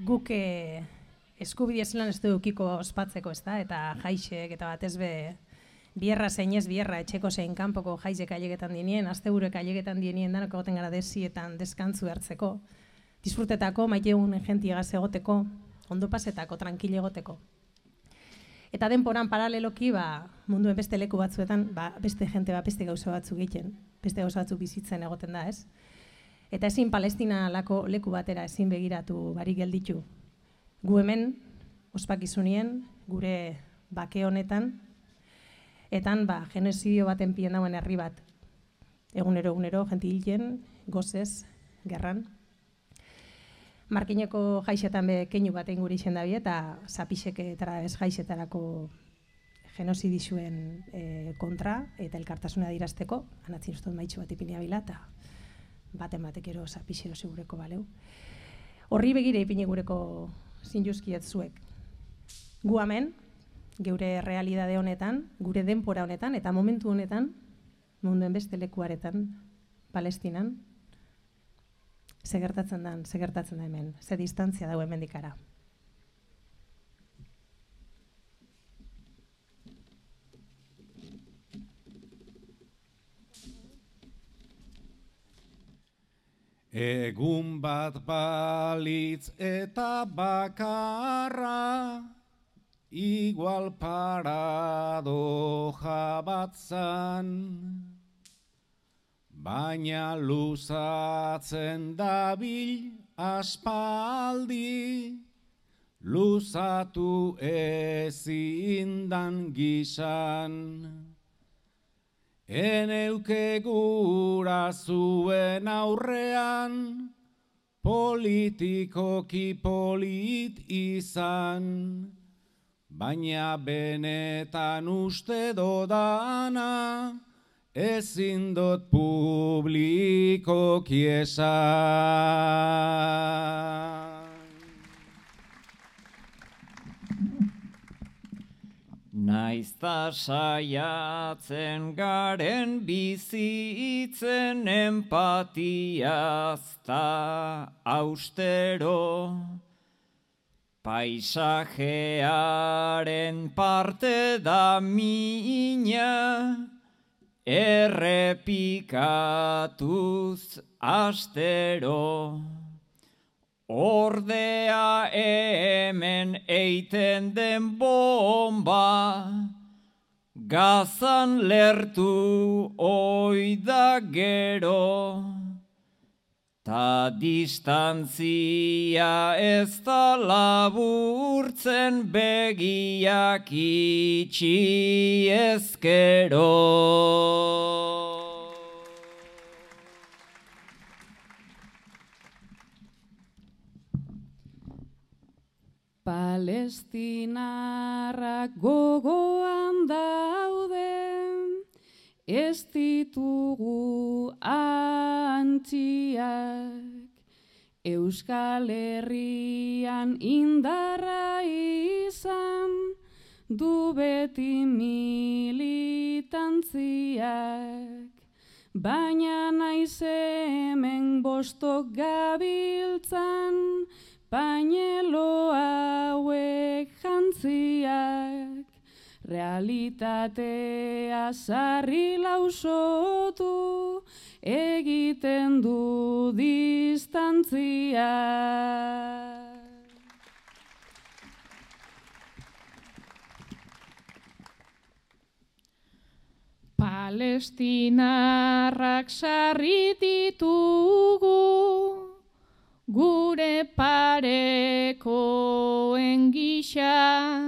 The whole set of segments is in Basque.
guk eskubide zelan ez dukiko ospatzeko, ez da, eta jaixek, eta batez be, bierra zein ez bierra, etxeko zein kanpoko jaizek ailegetan dienien, asteburek ailegetan dienien, danok egoten gara desietan deskantzu hartzeko, disfrutetako, maiteun gentiegaz egoteko, ondo pasetako, tranquile egoteko. Eta denporan paraleloki, munduen beste leku batzuetan, beste jente beste gauza batzuk egiten, beste gauza batzuk bizitzen egoten da, ez? Eta ezin Palestina leku batera ezin begiratu barik gelditu. Gu hemen, ospakizunien, gure bake honetan, etan genozidio baten pien dauen herri bat. Egunero, jenti hilien, gozez, gerran. Markineko jaixetan keinu batein gure izen dabi, eta zapisek eta ez jaixetarako genozidizuen kontra, eta elkartasuna dirazteko, anatzin ustot maitxu bat ipini abila, eta batek ero zapixero segureko baleu. Horri begire ipini gureko zinjuzkiet zuek. Gu hemen, geure realidade honetan, gure denpora honetan, eta momentu honetan, munduen beste lekuaretan, Palestinan, ze gertatzen da hemen, ze distantzia dago hemen dikara. Egun bat balitz eta bakarra, igual paradoja bat zan, baina luzatzen dabil aspaldi, luzatu ezindan gisan. Eneuke gura zuen aurrean, politikoki polit izan, baina benetan uste dodana, ezin dot publikoki esan. Naizta saiatzen garen bizitzen empatiazta austero, paisajearen parte da mina, errepikatuz astero. Ordea hemen eiten den bomba, Gazan lertu oida gero, ta distantzia ez da laburtzen begiak itxi ezkero. Palestinarrak gogoan daude, ez ditugu antziak, Euskal Herrian indarra izan, du beti militantziak, baina naiz hemen bostok gabiltzan, pañelo hauek jantziak, realitatea sarri lausotu, egiten du distantzia. Palestinarrak sarri ditugu, gure parekoen gisa,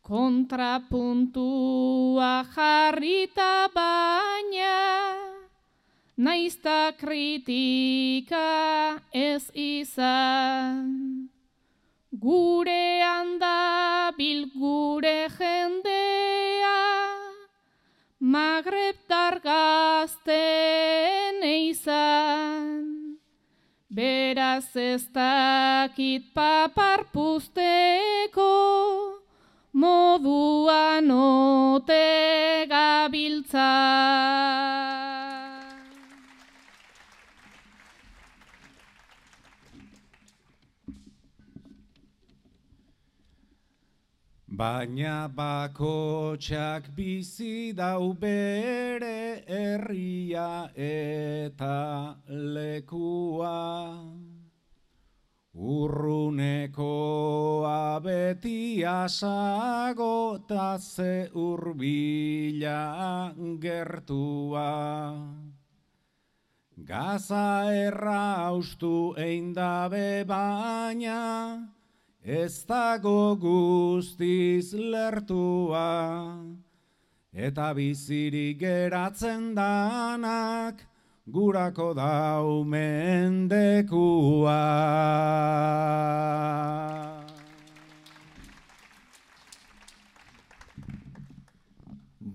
kontrapuntua jarrita baina, naizta kritika ez izan. Gurean dabil gure jendea, Magrebtar gazten izan. Beraz ez dakit papar puzteko, moduan ote gabiltza. baina bakotxak bizi dau bere herria eta lekua. Urrunekoa beti asago ta ze hurbila gertua. Gaza erraustu eindabe baina ez dago guztiz lertua. Eta bizirik geratzen danak gurako dau mendekua.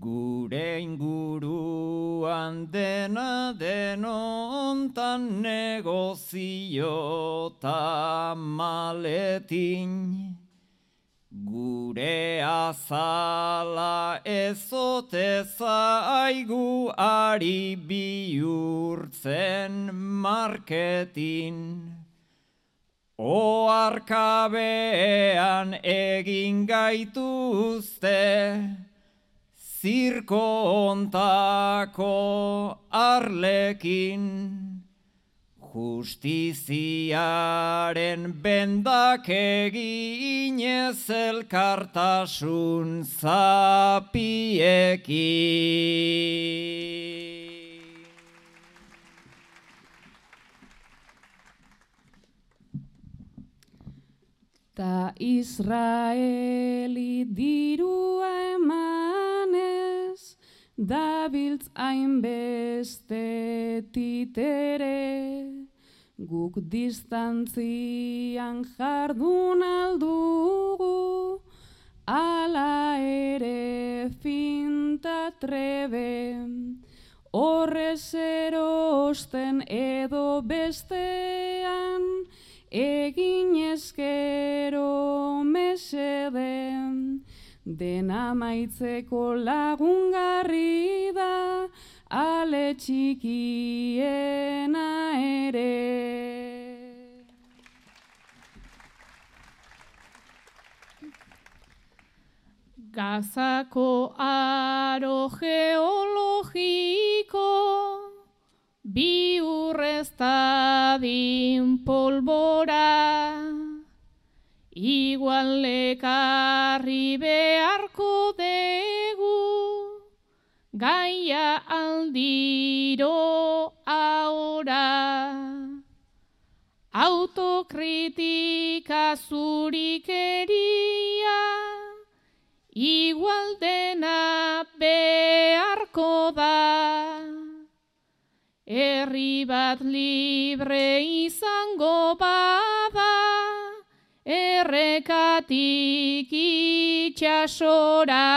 Gure inguruan dena denontan negozio ta maletin. Gure azala ezote zaigu ari bihurtzen marketin. Oarkabean egin gaituzte, zirko ontako arlekin. Justiziaren bendak eginez elkartasun zapiekin. Ta Israeli dirua emanez, dabiltz hainbeste titere, guk distantzian jardun aldugu, ala ere finta trebe, horrez erosten edo bestean, egin ezkero meseden, dena maitzeko lagungarri da, ale txikiena ere. Gazako aro geologiko, bi urreztadin polbora, igual lekarri beharko degu, gaia aldiro ahora. Autokritika zurikeria, igual dena beharko da. Herri bat libre izango bada, errekatik itxasora.